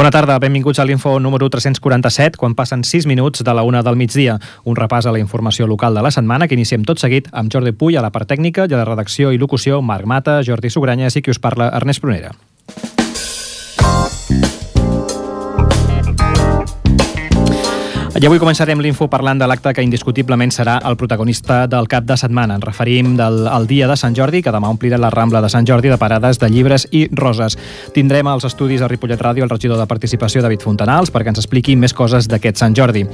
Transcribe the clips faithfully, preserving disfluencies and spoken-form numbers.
Bona tarda, benvinguts a l'Info número tres-cents quaranta-set, quan passen sis minuts de la una del migdia. Un repàs a la informació local de la setmana que iniciem tot seguit amb Jordi Puy a la part tècnica i a la redacció i locució Marc Mata, Jordi Sugranyes i qui us parla, Ernest Prunera. I avui començarem l'Info parlant de l'acte que indiscutiblement serà el protagonista del cap de setmana. Ens referim del, al dia de Sant Jordi, que demà omplirà la Rambla de Sant Jordi de parades de llibres i roses. Tindrem als estudis a Ripollet Ràdio el regidor de Participació, David Fontanals, perquè ens expliqui més coses d'aquest Sant Jordi.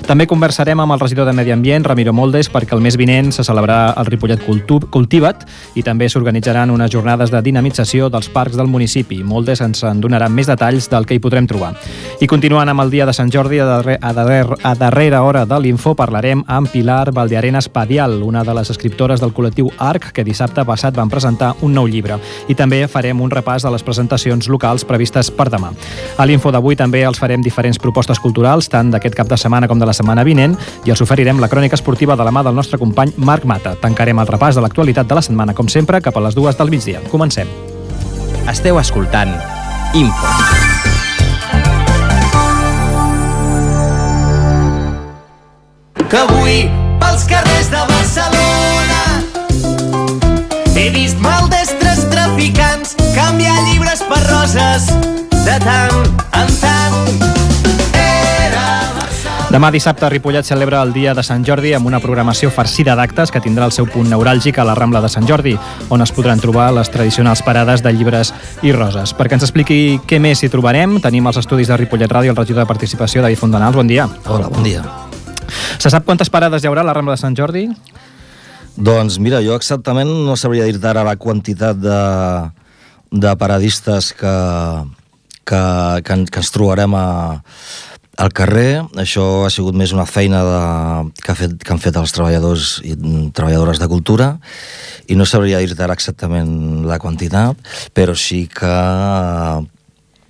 També conversarem amb el regidor de Medi Ambient, Ramiro Moldes, perquè el mes vinent se celebrarà el Ripollet Cultiva't i també s'organitzaran unes jornades de dinamització dels parcs del municipi. Moldes ens en donarà més detalls del que hi podrem trobar. I continuant amb el dia de Sant Jordi, a darrer, a darrer A darrera hora de l'Info parlarem amb Pilar Valdearenas Padial, una de les escriptores del col·lectiu Arc, que dissabte passat van presentar un nou llibre. I també farem un repàs de les presentacions locals previstes per demà. A l'Info d'avui també els farem diferents propostes culturals, tant d'aquest cap de setmana com de la setmana vinent, i els oferirem la crònica esportiva de la mà del nostre company Marc Mata. Tancarem el repàs de l'actualitat de la setmana, com sempre, cap a les dues del migdia. Comencem. Esteu escoltant Info. Que avui, pels carrers de Barcelona, he vist maldestres traficants canviar llibres per roses de tant en tant. Demà dissabte Ripollet celebra el dia de Sant Jordi amb una programació farcida d'actes que tindrà el seu punt neuràlgic a la Rambla de Sant Jordi, on es podran trobar les tradicionals parades de llibres i roses. Perquè ens expliqui què més hi trobarem, tenim als estudis de Ripollet Ràdio el regidor de Participació, David Fontanals. Bon dia. Hola, bon dia. Se sap quantes parades hi haurà a la Rambla de Sant Jordi? Doncs mira, jo exactament no sabria dir-te ara la quantitat de, de paradistes que, que, que, que ens trobarem a, al carrer. Això ha sigut més una feina de, que, ha fet, que han fet els treballadors i treballadores de cultura, i no sabria dir-te ara exactament la quantitat, però sí que...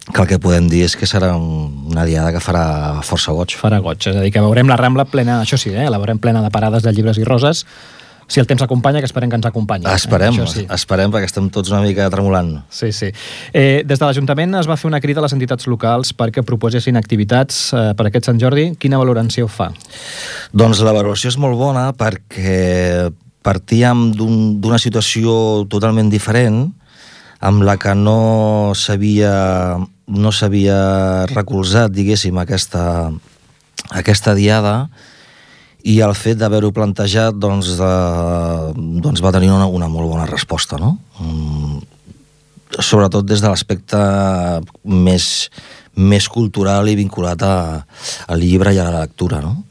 que el que podem dir és que serà una diada que farà força goig. Farà goig, és a dir, que veurem la Rambla plena, això sí, eh? La veurem plena de parades de llibres i roses, si el temps acompanya, que esperem que ens acompanyi. Esperem, eh? sí. esperem, perquè estem tots una mica tremolant. Sí, sí. Eh, des de l'Ajuntament es va fer una crida a les entitats locals perquè proposessin activitats eh, per aquest Sant Jordi. Quina valoració fa? Doncs la valoració és molt bona perquè partíem d'un, d'una situació totalment diferent, amb la que no s'havia no s'havia recolzat, diguéssim, aquesta, aquesta diada, i el fet d'haver-ho plantejat doncs, eh, doncs va tenir una, una molt bona resposta, no? Mm, sobretot des de l'aspecte més, més cultural i vinculat a, al llibre i a la lectura, no?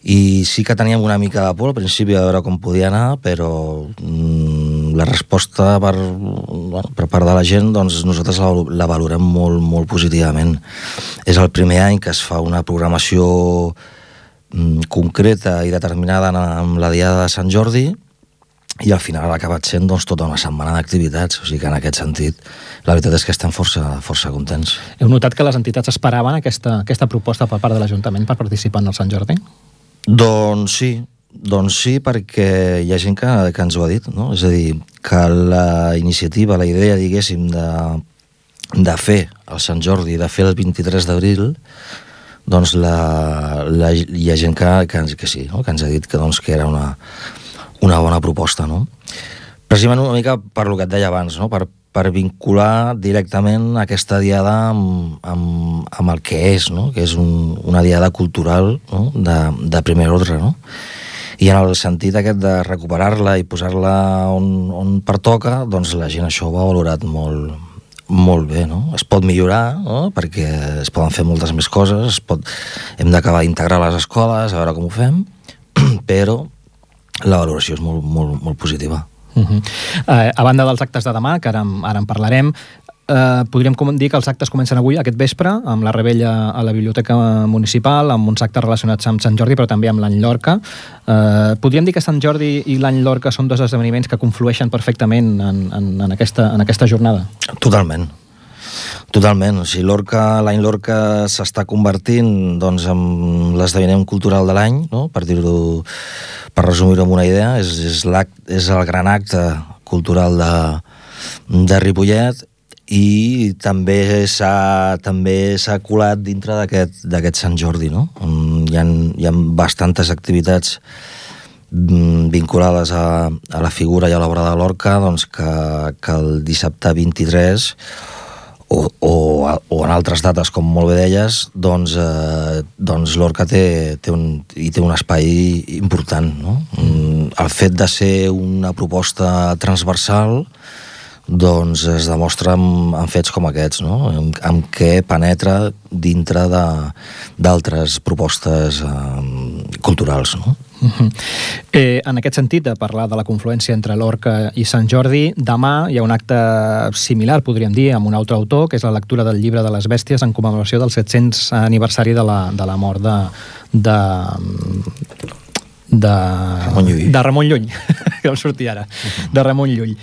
I sí que teníem una mica de por al principi a veure com podia anar, però mm, la resposta per, bueno, per part de la gent, doncs nosaltres la, la valorem molt, molt positivament. És el primer any que es fa una programació mm, concreta i determinada amb la diada de Sant Jordi, i al final ha acabat sent doncs, tota una setmana d'activitats, o sigui que en aquest sentit la veritat és que estem força, força contents. Heu notat que les entitats esperaven aquesta, aquesta proposta per part de l'Ajuntament per participar en el Sant Jordi? Doncs sí, doncs sí, perquè hi ha gent que, que ens ho ha dit, no? És a dir, que la iniciativa, la idea, diguéssim, de, de fer el Sant Jordi, de fer el vint-i-tres d'abril, doncs la, la, hi ha gent que, que, que sí, no? Que ens ha dit que, doncs, que era una, una bona proposta, no? Precisament una mica per lo que et deia abans, no? Per, per vincular directament aquesta diada amb, amb, amb el que és, no? Que és un, una diada cultural, no? de, de primer ordre, no? I en el sentit aquest de recuperar-la i posar-la on, on pertoca, doncs la gent això ho ha valorat molt, molt bé, no? Es pot millorar, no? Perquè es poden fer moltes més coses, es pot... hem d'acabar d'integrar les escoles, a veure com ho fem, però la valoració és molt, molt, molt positiva. Uh-huh. Uh, a banda dels actes de demà, que ara, ara en parlarem, uh, podríem dir que els actes comencen avui, aquest vespre, amb la rebella a la Biblioteca Municipal, amb uns actes relacionats amb Sant Jordi, però també amb l'Any Lorca. Uh, podríem dir que Sant Jordi i l'Any Lorca són dos esdeveniments que conflueixen perfectament en, en, en, aquesta, en aquesta jornada? Totalment. Totalment. O sigui, Lorca, l'Any Lorca s'està convertint doncs, en l'esdeveniment cultural de l'any, no? Per dir-ho, per resumir-ho amb una idea, és, és, és el gran acte cultural de, de Ripollet, i també s'ha també s'ha colat dintre d'aquest d'aquest Sant Jordi, no? Hi ha, hi ha bastantes activitats vinculades a, a la figura i a l'obra de Lorca, doncs que, que el dissabte vint-i-tres o, o, o en altres dates, com molt bé deies, doncs, eh, doncs Lorca té, té, un, hi té un espai important, no? El fet de ser una proposta transversal doncs es demostra amb, amb fets com aquests, no? Amb, amb què penetra dintre d'altres propostes eh, culturals, no? Uh-huh. eh, en aquest sentit, de parlar de la confluència entre Lorca i Sant Jordi, demà hi ha un acte similar, podríem dir, amb un altre autor, que és la lectura del llibre de les bèsties en commemoració del set-cents aniversari de la, de la mort de... de de Ramon Llull, de Ramon Llull. Que em sortia ara, uh-huh. de Ramon Llull.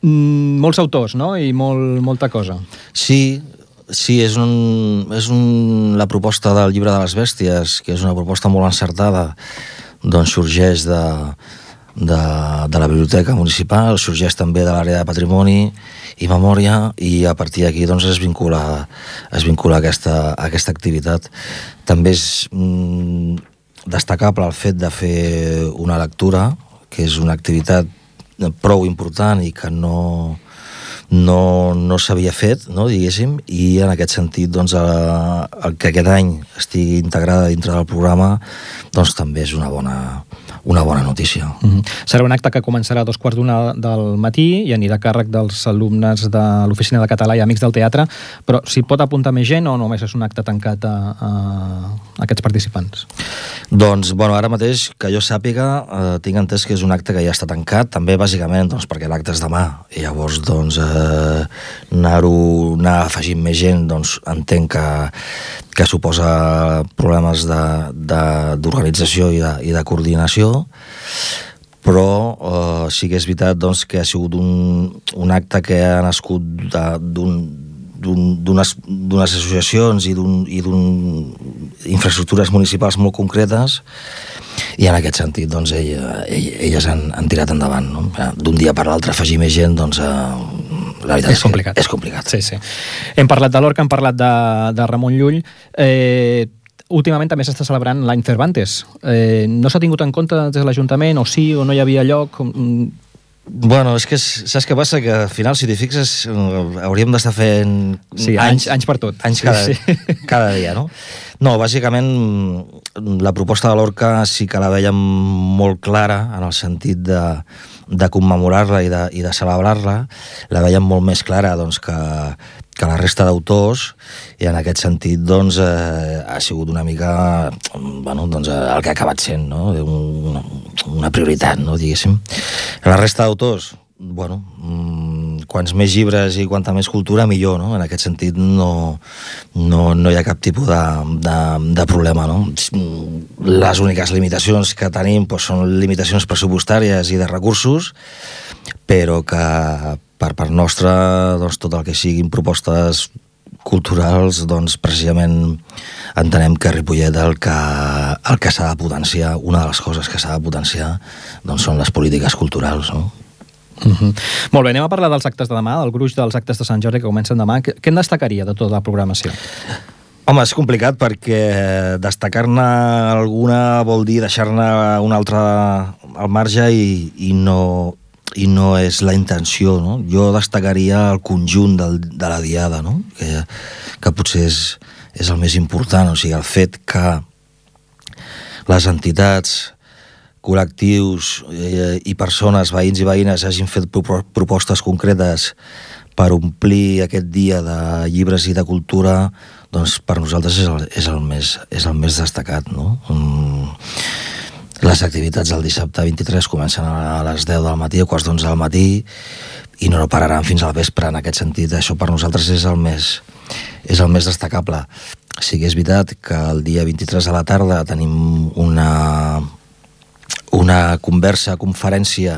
Mm, molts autors, no? I molt, molta cosa. Sí, sí, és, un, és un, la proposta del llibre de les bèsties, que és una proposta molt encertada, doncs sorgeix de, de, de la biblioteca municipal, sorgeix també de l'àrea de patrimoni i memòria, i a partir d'aquí doncs, es vincula, es vincula aquesta, aquesta activitat. També és mm, destacable el fet de fer una lectura, que és una activitat prou important i que no, no, no s'havia fet, no, diguéssim, i en aquest sentit doncs, el, el que aquest any estigui integrada dintre del programa doncs també és una bona, una bona notícia. Mm-hmm. Serà un acte que començarà a dos quarts d'una del matí i anirà a càrrec dels alumnes de l'Oficina de Català i Amics del Teatre, però s'hi pot apuntar més gent o només és un acte tancat a, a, a aquests participants? Doncs, bueno, ara mateix, que jo sàpiga, eh, tinc entès que és un acte que ja està tancat, també bàsicament doncs, perquè l'acte és demà, i llavors doncs, eh, anar-ho, anar afegint més gent, doncs entenc que, que suposa problemes d'organització i, de, i de coordinació, però eh, sí que és veritat doncs, que ha sigut un, un acte que ha nascut d'unes associacions i d'un infraestructures municipals molt concretes, i en aquest sentit doncs, ell, ell, elles han, han tirat endavant, no? D'un dia per l'altre afegir més gent, doncs eh, la veritat és, és complicat. És complicat. Sí, sí. Hem parlat de Lorca, hem parlat de, de Ramon Llull. Eh, últimament també s'està celebrant l'any Cervantes. Eh, no s'ha tingut en compte des de l'Ajuntament, o sí, o no hi havia lloc? Bueno, és que saps què passa? Que al final, si t'hi fixes, hauríem d'estar fent sí, anys, anys, anys per tot. Anys cada, sí, sí. cada dia, no? No, bàsicament, la proposta de Lorca sí que la veiem molt clara en el sentit de, de commemorar-la i, de, i de celebrar-la. La veiem molt més clara doncs, que, que la resta d'autors, i en aquest sentit doncs, eh, ha sigut una mica bueno, doncs, el que ha acabat sent, no? una, una prioritat, no? Diguéssim. La resta d'autors, bueno, mmm, quants més llibres i quanta més cultura, millor, no? En aquest sentit no, no, no hi ha cap tipus de, de, de problema, no? Les úniques limitacions que tenim doncs, són limitacions pressupostàries i de recursos, però que per part nostra doncs, tot el que siguin propostes culturals, doncs precisament entenem que a Ripollet el que, el que s'ha de potenciar, una de les coses que s'ha de potenciar doncs són les polítiques culturals, no? Uh-huh. Molt bé, anem a parlar dels actes de demà, del gruix dels actes de Sant Jordi que comencen demà. Què en destacaria de tota la programació? Home, és complicat perquè destacar-ne alguna vol dir deixar-ne una altra al marge i, i, no, i no és la intenció, no? Jo destacaria el conjunt del, de la diada, no? que, que potser és, és el més important, o sigui, el fet que les entitats, col·lectius eh, i persones, veïns i veïnes, hagin fet propostes concretes per omplir aquest dia de llibres i de cultura, doncs per nosaltres és el, és el, més, és el més destacat, no? Mm. Les activitats del dissabte vint-i-tres comencen a les deu del matí, a quarts d'onze del matí, i no pararan fins al vespre. En aquest sentit, això per nosaltres és el més, és el més destacable. Sí que és veritat que el dia vint-i-tres a la tarda tenim una... una conversa, conferència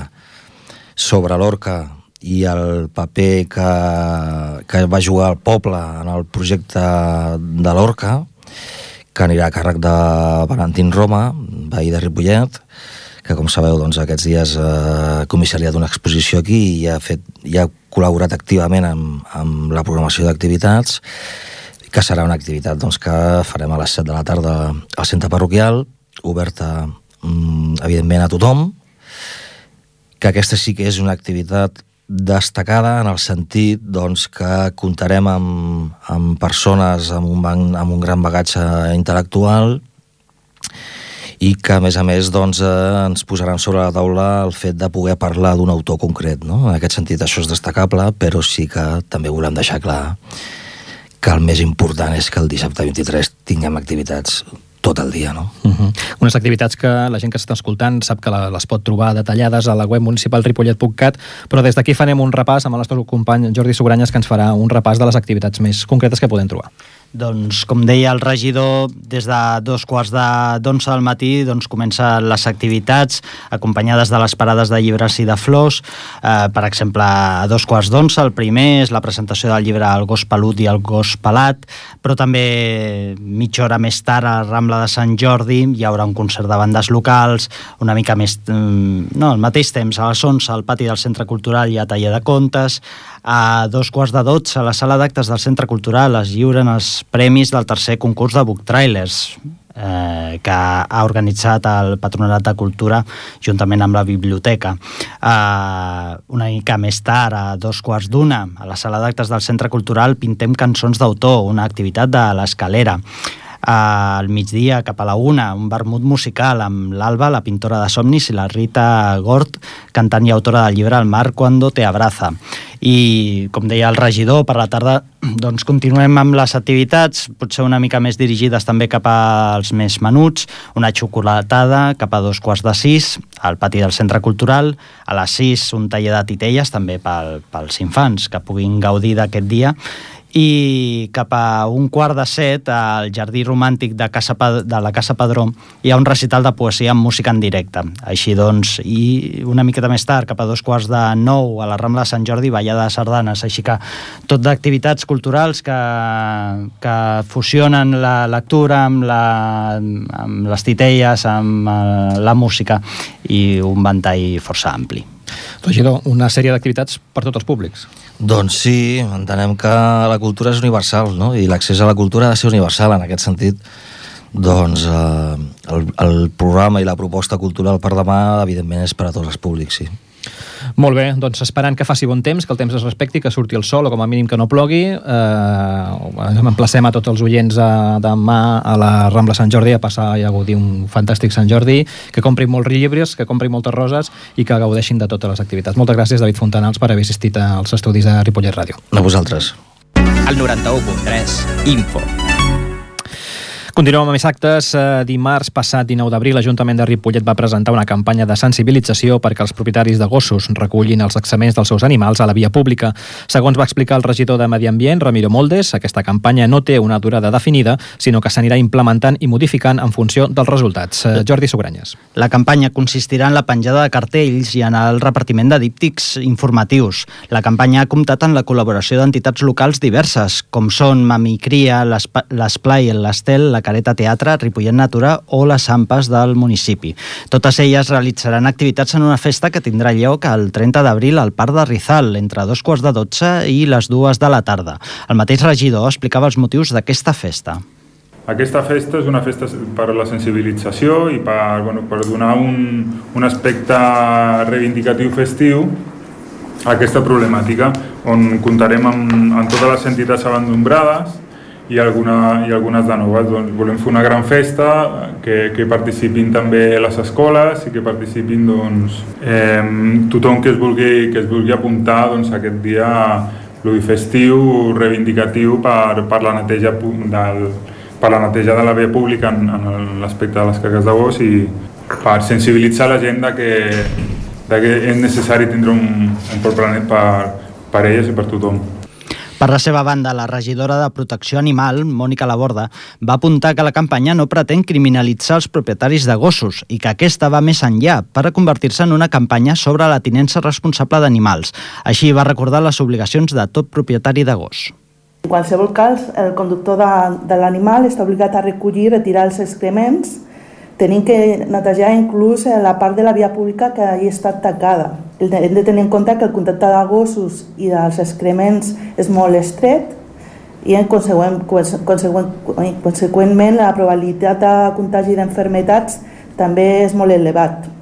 sobre Lorca i el paper que, que va jugar el poble en el projecte de Lorca, que anirà a càrrec de Valentín Roma, veí de Ripollet, que com sabeu doncs, aquests dies ha eh, comissariat una exposició aquí i ha, fet, i ha col·laborat activament amb, amb la programació d'activitats, que serà una activitat doncs, que farem a les set de la tarda al centre parroquial, oberta mm, evidentment a tothom, que aquesta sí que és una activitat destacada en el sentit doncs, que comptarem amb, amb persones amb un, banc, amb un gran bagatge intel·lectual i que, a més a més, doncs, eh, ens posaran sobre la taula el fet de poder parlar d'un autor concret. No? En aquest sentit, això és destacable, però sí que també volem deixar clar que el més important és que el dissabte vint-i-tres tinguem activitats tot el dia, no? Uh-huh. Unes activitats que la gent que s'està escoltant sap que les pot trobar detallades a la web municipal ripollet punt cat, però des d'aquí farem un repàs amb el nostre company Jordi Sugranyes, que ens farà un repàs de les activitats més concretes que podem trobar. Doncs, com deia el regidor, des de dos quarts d'onze del matí doncs, comencen les activitats acompanyades de les parades de llibres i de flors. Eh, per exemple, a dos quarts d'onze el primer és la presentació del llibre El gos pelut i el gos pelat, però també mitja hora més tard a la Rambla de Sant Jordi hi haurà un concert de bandes locals, una mica més... no, al mateix temps, a les onze al pati del Centre Cultural hi ha taller de contes. A dos quarts de dotze a la sala d'actes del Centre Cultural es lliuren els premis del tercer concurs de Book Trailers eh, que ha organitzat el Patronat de Cultura juntament amb la biblioteca. Eh, una mica més tard, a dos quarts d'una, a la sala d'actes del Centre Cultural pintem cançons d'autor, una activitat de l'Escalera. Al migdia, cap a la una, un vermut musical amb l'Alba, la pintora de somnis, i la Rita Gort, cantant i autora del llibre El mar cuando te abraza. I, com deia el regidor, per la tarda doncs continuem amb les activitats, potser una mica més dirigides també cap als més menuts, una xocolatada cap a dos quarts de sis, al pati del Centre Cultural, a les sis un taller de titelles, també pel, pels infants, que puguin gaudir d'aquest dia, i cap a un quart de set al Jardí Romàntic de, Casa Pad- de la Casa Padró hi ha un recital de poesia amb música en directe. Així doncs, i una miqueta més tard, cap a dos quarts de nou a la Rambla de Sant Jordi, ballada de sardanes. Així que tot d'activitats culturals que, que fusionen la lectura amb, la, amb les titelles, amb eh, la música, i un ventall força ampli. Regidor, una sèrie d'activitats per tots els públics. Doncs sí, entenem que la cultura és universal, no? I l'accés a la cultura ha de ser universal. En aquest sentit, doncs eh, el, el programa i la proposta cultural per demà, evidentment, és per a tots els públics, sí. Molt bé, doncs esperant que faci bon temps, que el temps es respecti, que surti el sol o com a mínim que no plogui. Eh, emplacem a tots els oients a, demà a la Rambla Sant Jordi a passar i a gaudir un fantàstic Sant Jordi, que comprin molts llibres, que comprin moltes roses i que gaudeixin de totes les activitats. Moltes gràcies, David Fontanals, per haver assistit als estudis de Ripollet Ràdio. A vosaltres. El noranta-u punt tres, Info. Continuem amb més actes. Dimarts passat, dinou d'abril, l'Ajuntament de Ripollet va presentar una campanya de sensibilització perquè els propietaris de gossos recullin els excrements dels seus animals a la via pública. Segons va explicar el regidor de Medi Ambient, Ramiro Moldes, aquesta campanya no té una durada definida, sinó que s'anirà implementant i modificant en funció dels resultats. Jordi Sugranyes. La campanya consistirà en la penjada de cartells i en el repartiment de díptics informatius. La campanya ha comptat amb la col·laboració d'entitats locals diverses, com són Mamicria, l'Esplai, l'Estel, la Careta Teatre, Ripollet Natura o les AMPAs del municipi. Totes elles realitzaran activitats en una festa que tindrà lloc el trenta d'abril al Parc de Rizal, entre dos quarts de dotze i les dues de la tarda. El mateix regidor explicava els motius d'aquesta festa. Aquesta festa és una festa per la sensibilització i per, bueno, per donar un, un aspecte reivindicatiu festiu a aquesta problemàtica, on comptarem amb, amb totes les entitats abandonades i, alguna, i algunes de noves. Doncs volem fer una gran festa, que, que participin també les escoles i que participin doncs, eh, tothom que es vulgui, que es vulgui apuntar doncs, aquest dia festiu, reivindicatiu per, per, la neteja del, per la neteja de la via pública en, en l'aspecte de les caques de gos i per sensibilitzar la gent de que, de que és necessari tindre un, un poble net per, per elles i per tothom. Per la seva banda, la regidora de Protecció Animal, Mònica Laborda, va apuntar que la campanya no pretén criminalitzar els propietaris de gossos i que aquesta va més enllà per convertir-se en una campanya sobre la tinença responsable d'animals. Així va recordar les obligacions de tot propietari de gos. En qualsevol cas, el conductor de, de l'animal està obligat a recollir i retirar els excrements tenim que netejar inclús la part de la via pública que hagi estat tacada. Hem de tenir en compte que el contacte de gossos i dels excrements és molt estret i en consegüent, consegüent, conseqüentment la probabilitat de contagi d'enfermetats també és molt elevat.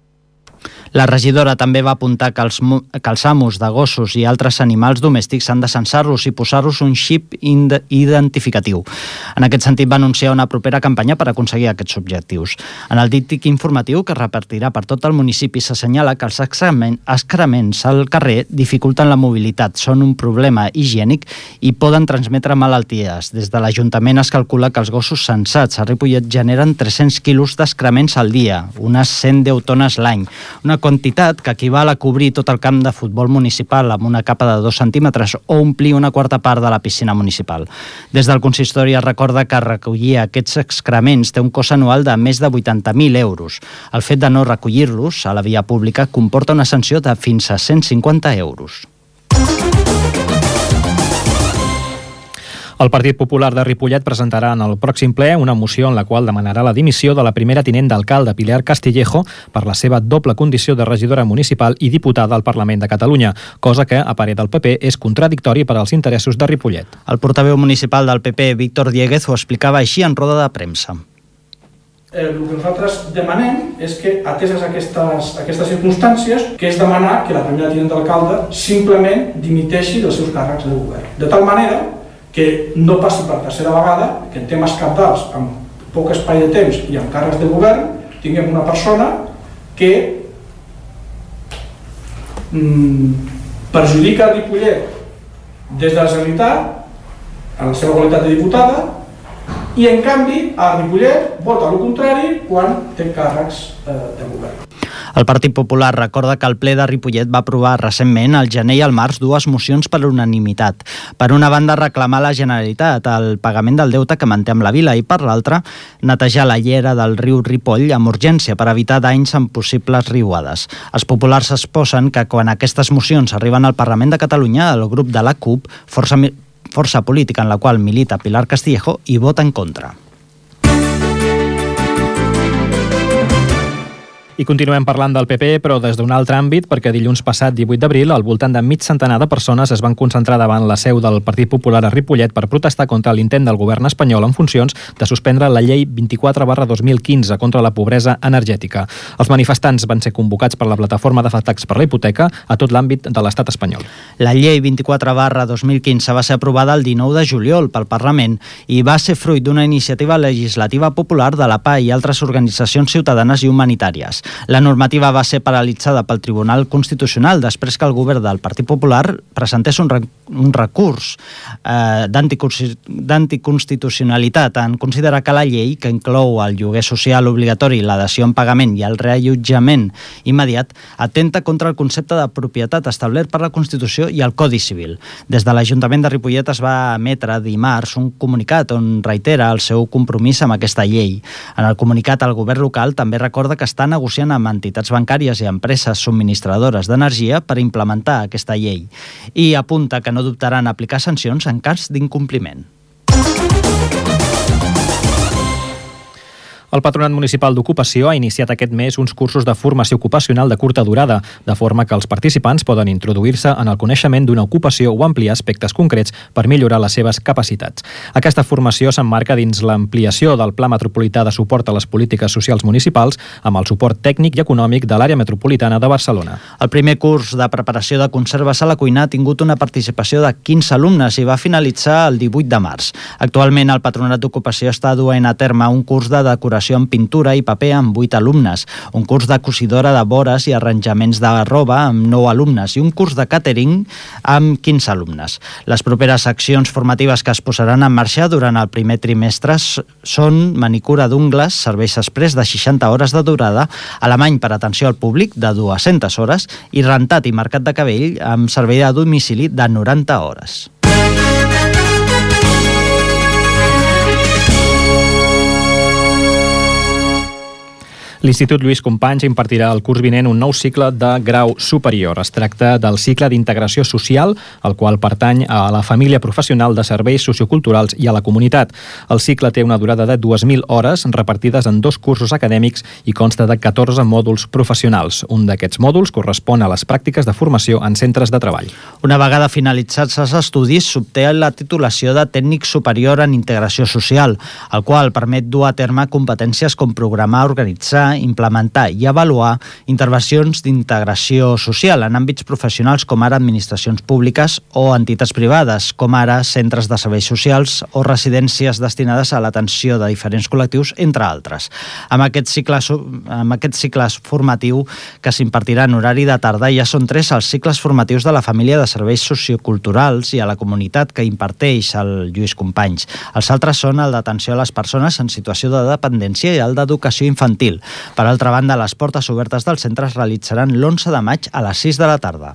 La regidora també va apuntar que els, que els amos de gossos i altres animals domèstics han de censar-los i posar-los un xip identificatiu. En aquest sentit va anunciar una propera campanya per aconseguir aquests objectius. En el díptic informatiu que repartirà per tot el municipi s'assenyala que els excrements al carrer dificulten la mobilitat, són un problema higiènic i poden transmetre malalties. Des de l'Ajuntament es calcula que els gossos censats a Ripollet generen tres-cents quilos d'excrements al dia, unes cent deu tones l'any, una quantitat que equival a cobrir tot el camp de futbol municipal amb una capa de dos centímetres o omplir una quarta part de la piscina municipal. Des del consistori es recorda que recollir aquests excrements té un cost anual de més de vuitanta mil euros. El fet de no recollir-los a la via pública comporta una sanció de fins a cent cinquanta euros. El Partit Popular de Ripollet presentarà en el pròxim ple una moció en la qual demanarà la dimissió de la primera tinent d'alcalde Pilar Castillejo per la seva doble condició de regidora municipal i diputada al Parlament de Catalunya, cosa que, a parer del P P, és contradictori per als interessos de Ripollet. El portaveu municipal del P P, Víctor Dieguez, ho explicava així en roda de premsa. Eh, el que nosaltres demanem és que, ateses aquestes, aquestes circumstàncies, que és demanar que la primera tinent d'alcalde simplement dimiteixi dels seus càrrecs de govern. De tal manera que no passi per tercera vegada que en temes cabdals, amb poc espai de temps i amb càrrecs de govern, tinguem una persona que mm, perjudica el Ripollet des de la Generalitat en la seva qualitat de diputada i en canvi a Ripollet vota el contrari quan té càrrecs eh, de govern. El Partit Popular recorda que el ple de Ripollet va aprovar recentment, al gener i al març, dues mocions per unanimitat. Per una banda, reclamar a la Generalitat el pagament del deute que manté amb la vila i, per l'altra, netejar la llera del riu Ripoll amb urgència per evitar danys en possibles riuades. Els populars exposen que quan aquestes mocions arriben al Parlament de Catalunya, el grup de la C U P, força, força política en la qual milita Pilar Castillejo, hi vota en contra. I continuem parlant del P P, però des d'un altre àmbit, perquè dilluns passat, divuit d'abril, al voltant de mig centenar de persones es van concentrar davant la seu del Partit Popular a Ripollet per protestar contra l'intent del govern espanyol en funcions de suspendre la llei vint-i-quatre barra dos mil quinze contra la pobresa energètica. Els manifestants van ser convocats per la plataforma d'afectats per la hipoteca a tot l'àmbit de l'estat espanyol. La llei vint-i-quatre barra dos mil quinze va ser aprovada el dinou de juliol pel Parlament i va ser fruit d'una iniciativa legislativa popular de la P A i altres organitzacions ciutadanes i humanitàries. La normativa va ser paralitzada pel Tribunal Constitucional després que el govern del Partit Popular presentés un, rec un recurs eh, d'anticonstitucionalitat en considerar que la llei, que inclou el lloguer social obligatori, la dació en pagament i el reallotjament immediat, atenta contra el concepte de propietat establert per la Constitució i el Codi Civil. Des de l'Ajuntament de Ripollet es va emetre dimarts un comunicat on reitera el seu compromís amb aquesta llei. En el comunicat, el govern local també recorda que està negociant amb entitats bancàries i empreses subministradores d'energia per implementar aquesta llei i apunta que no dubtaran aplicar sancions en cas d'incompliment. El Patronat Municipal d'Ocupació ha iniciat aquest mes uns cursos de formació ocupacional de curta durada, de forma que els participants poden introduir-se en el coneixement d'una ocupació o ampliar aspectes concrets per millorar les seves capacitats. Aquesta formació s'emmarca dins l'ampliació del Pla Metropolità de Suport a les Polítiques Socials Municipals amb el suport tècnic i econòmic de l'àrea metropolitana de Barcelona. El primer curs de preparació de conserves a la cuina ha tingut una participació de quinze alumnes i va finalitzar el divuit de març. Actualment, el Patronat d'Ocupació està duent a terme un curs de decoració en pintura i paper amb vuit alumnes, un curs de cosidora de vores i arranjaments de roba amb nou alumnes i un curs de catering amb quinze alumnes. Les properes accions formatives que es posaran en marxa durant el primer trimestre són manicura d'ungles, serveis express de seixanta hores de durada, alemany per atenció al públic de dues-centes hores i rentat i marcat de cabell amb servei a domicili de noranta hores. L'Institut Lluís Companys impartirà el curs vinent un nou cicle de grau superior. Es tracta del cicle d'integració social, el qual pertany a la família professional de serveis socioculturals i a la comunitat. El cicle té una durada de dues mil hores repartides en dos cursos acadèmics i consta de catorze mòduls professionals. Un d'aquests mòduls correspon a les pràctiques de formació en centres de treball. Una vegada finalitzats els estudis, s'obté la titulació de tècnic superior en integració social, el qual permet dur a terme competències com programar, organitzar, implementar i avaluar intervencions d'integració social en àmbits professionals com ara administracions públiques o entitats privades, com ara centres de serveis socials o residències destinades a l'atenció de diferents col·lectius, entre altres. Amb aquest cicle, amb aquest cicle formatiu que s'impartirà en horari de tarda, ja són tres els cicles formatius de la família de serveis socioculturals i a la comunitat que imparteix el Lluís Companys. Els altres són el d'atenció a les persones en situació de dependència i el d'educació infantil. Per altra banda, les portes obertes del centre es realitzaran l'onze de maig a les sis de la tarda.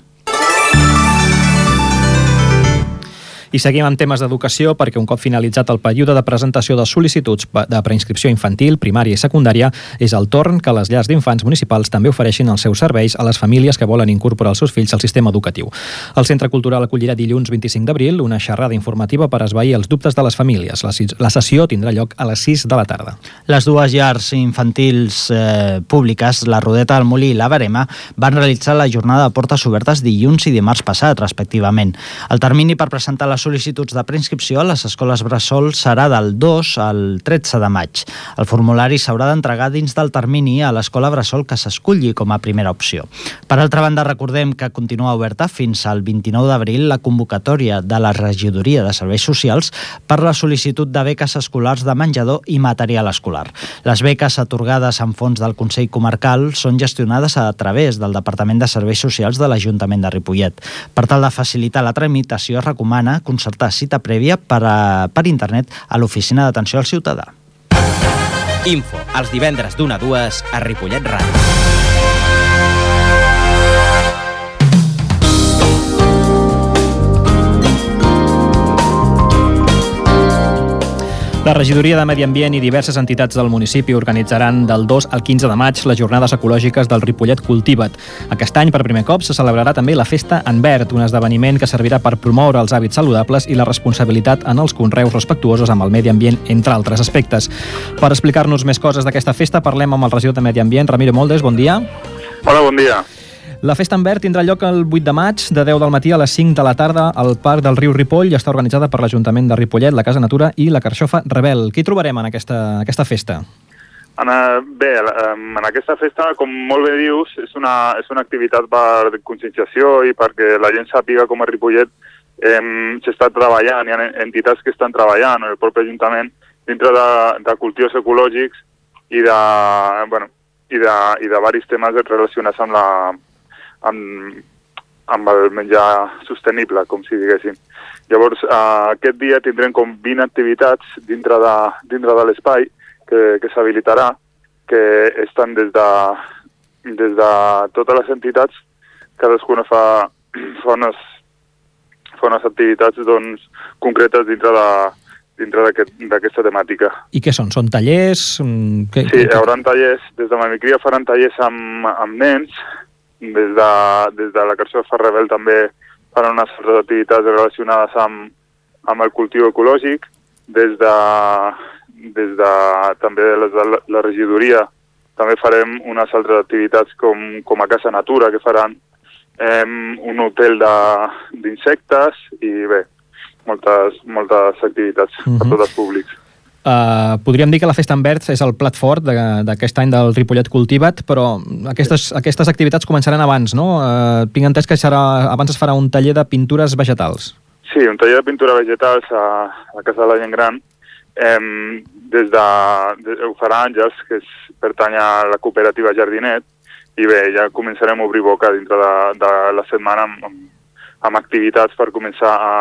I seguim amb temes d'educació perquè un cop finalitzat el període de presentació de sol·licituds de preinscripció infantil, primària i secundària, és el torn que les llars d'infants municipals també ofereixin els seus serveis a les famílies que volen incorporar els seus fills al sistema educatiu. El Centre Cultural acollirà dilluns vint-i-cinc d'abril una xerrada informativa per esvair els dubtes de les famílies. La sessió tindrà lloc a les sis de la tarda. Les dues llars infantils eh, públiques, la Rodeta del Molí i la Verema, van realitzar la jornada de portes obertes dilluns i dimarts passat, respectivament. El termini per presentar les sol·licituds de preinscripció a les escoles bressol serà del dos al tretze de maig. El formulari s'haurà d'entregar dins del termini a l'escola bressol que s'esculli com a primera opció. Per altra banda, recordem que continua oberta fins al vint-i-nou d'abril la convocatòria de la Regidoria de Serveis Socials per la sol·licitud de beques escolars de menjador i material escolar. Les beques atorgades en fons del Consell Comarcal són gestionades a través del Departament de Serveis Socials de l'Ajuntament de Ripollet. Per tal de facilitar la tramitació, es recomana concertar cita prèvia per, a, per internet a l'Oficina d'Atenció al Ciutadà. Info, els divendres d'una a dues a Ripollet Ràdio. La Regidoria de Medi Ambient i diverses entitats del municipi organitzaran del dos al quinze de maig les jornades ecològiques del Ripollet Cultiva't. Aquest any, per primer cop, se celebrarà també la Festa en Verd, un esdeveniment que servirà per promoure els hàbits saludables i la responsabilitat en els conreus respectuosos amb el medi ambient, entre altres aspectes. Per explicar-nos més coses d'aquesta festa, parlem amb el regidor de Medi Ambient, Ramiro Moldes. Bon dia. Hola, bon dia. La Festa en Verd tindrà lloc el vuit de maig, de deu del matí a les cinc de la tarda, al Parc del Riu Ripoll, i està organitzada per l'Ajuntament de Ripollet, la Casa Natura i la Carxofa Rebel. Què hi trobarem en aquesta, aquesta festa? Ana, bé, en aquesta festa, com molt bé dius, és una, és una activitat per conscienciació i perquè la gent sàpiga com a Ripollet eh, s'està treballant, hi ha entitats que estan treballant, el propi Ajuntament, dintre de, de cultius ecològics i de, bueno, i de, i de diversos temes relacionats amb la Amb, amb el menjar sostenible, com si diguéssim. Llavors, eh, aquest dia tindrem com vint activitats dintre de, dintre de l'espai que, que s'habilitarà, que estan des de, des de totes les entitats, cadascuna fa, fa, unes, fa unes activitats doncs, concretes dintre de dintre d'aquesta temàtica. I què són? Són tallers? Que, sí, hi haurà tallers. Des de Mamicria faran tallers amb, amb nens. Des de, des de la Carxofa Rebel també faran unes altres activitats relacionades amb, amb el cultiu ecològic. Des de, des de també des de la, la regidoria també farem unes altres activitats com, com a Casa Natura, que faran eh, un hotel d'insectes i bé, moltes, moltes activitats uh-huh. per tots els públics. Uh, podríem dir que la Festa en Verd és el plat fort d'aquest any del Ripollet Cultiva't, però aquestes, aquestes activitats començaran abans, no? Uh, tinc entès que serà, abans es farà un taller de pintures vegetals. Sí, un taller de pintura vegetals a, a Casa de la Gent Gran. Eh, des de, de, ho farà Àngels, que és, pertany a la cooperativa Jardinet, i bé, ja començarem a obrir boca dintre de, de la setmana amb, amb, amb activitats per començar a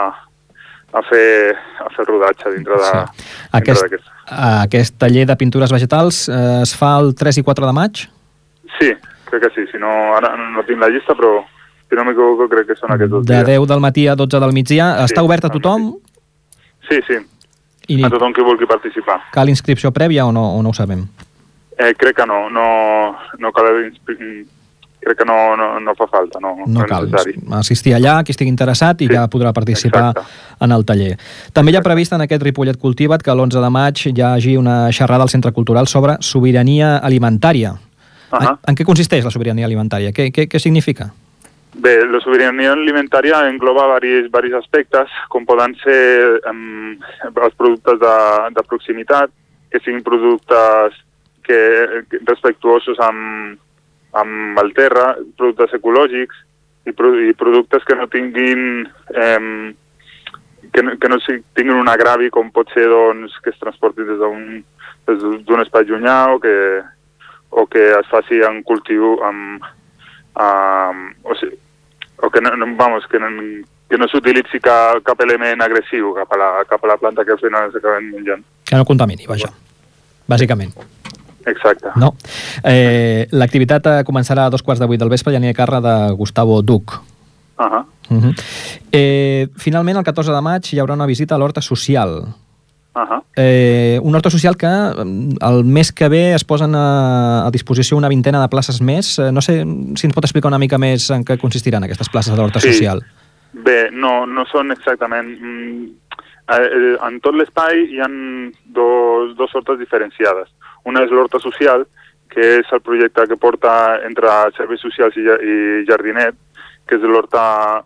a fer, a fer rodatge dintre d'aquest. Sí. Aquest, aquest taller de pintures vegetals eh, es fa el tres i quatre de maig? Sí, crec que sí. Si no, ara no tinc la llista, però si no m'equivoco crec que són aquests dos dies. De dies. deu del matí a dotze del migdia. Sí, està obert a tothom? Sí, sí. I a tothom que vulgui participar. Cal inscripció prèvia o no, o no ho sabem? Eh, crec que no, no, no cal... Crec que no, no, no fa falta, no, no, no cal assistir allà, qui estigui interessat, i sí, ja podrà participar exacte. En el taller. També hi ha previst en aquest Ripollet Cultiva't que l'onze de maig hi hagi una xerrada al Centre Cultural sobre sobirania alimentària. Uh-huh. en, en què consisteix la sobirania alimentària? Què, què, què significa? Bé, la sobirania alimentària engloba diversos, diversos aspectes, com poden ser um, els productes de, de proximitat, que siguin productes que, que respectuosos amb amb el terra, productes ecològics i, pro i productes que no tinguin eh, que, no, que no tinguin un agravi com pot ser doncs, que es transporti des d'un espai llunyà o que, o que es faci en cultiu amb, amb, o, sigui, o que no, no, vamos, que no, que no s'utilitzi cap, cap element agressiu cap a, la, cap a la planta que al final s'acaben menjant. Que no contamini, vaja, bàsicament. Exacte. No. Eh, L'activitat començarà a dos quarts de vuit del vespre i anirà a càrrec de Gustavo Duc. Uh -huh. Uh -huh. eh, finalment, el catorze de maig hi haurà una visita a l'Horta Social. Uh -huh. eh, una Horta Social que el mes que ve es posen a, a disposició una vintena de places més. No sé si ens pot explicar una mica més en què consistiran aquestes places de l'Horta sí. Social. Bé, no, no són exactament... Mm, eh, en tot l'espai hi ha dos, dos hortes diferenciades. Una és l'Horta Social, que és el projecte que porta entre Serveis Socials i, i Jardinet, que és l'horta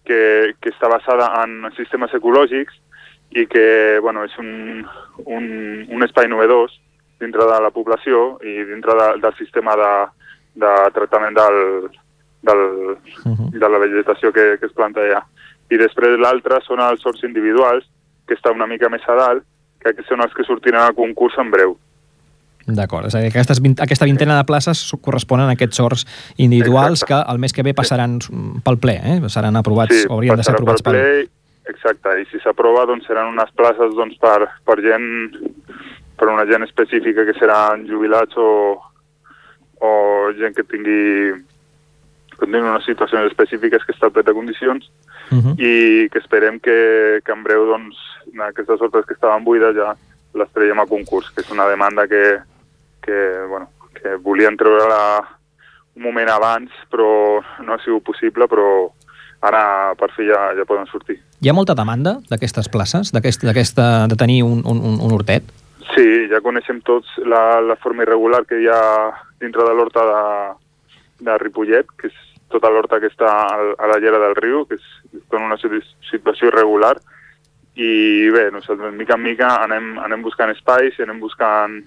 que, que està basada en sistemes ecològics i que bueno, és un, un, un espai novedós dintre de la població i dintre de, del sistema de, de tractament del, del, uh-huh. de la vegetació que, que es planta allà. I després l'altre són els horts individuals, que està una mica més a dalt, que són els que sortiran al concurs en breu. D'acord, és a dir, aquestes vint, aquesta vintena de places corresponen a aquests horts individuals exacte. Que el mes que ve passaran pel ple, eh? Seran aprovats, sí, o haurien de ser aprovats pel ple. Exacte, i si s'aprova doncs seran unes places doncs, per, per gent, per una gent específica que seran jubilats o, o gent que tingui, que tingui unes situacions específiques que estan de condicions uh-huh. i que esperem que, que en breu doncs, aquestes hortes que estaven buides ja les traiem a concurs, que és una demanda que que, bueno, que volien treure-la un moment abans, però no ha sigut possible, però ara per fi ja, ja poden sortir. Hi ha molta demanda d'aquestes places, d'aquesta de tenir un, un, un hortet? Sí, ja coneixem tots la, la forma irregular que hi ha dintre de l'horta de, de Ripollet, que és tota l'horta que està a la llera del riu, que és, és en una situació irregular, i bé, nosaltres mica en mica anem, anem buscant espais i anem buscant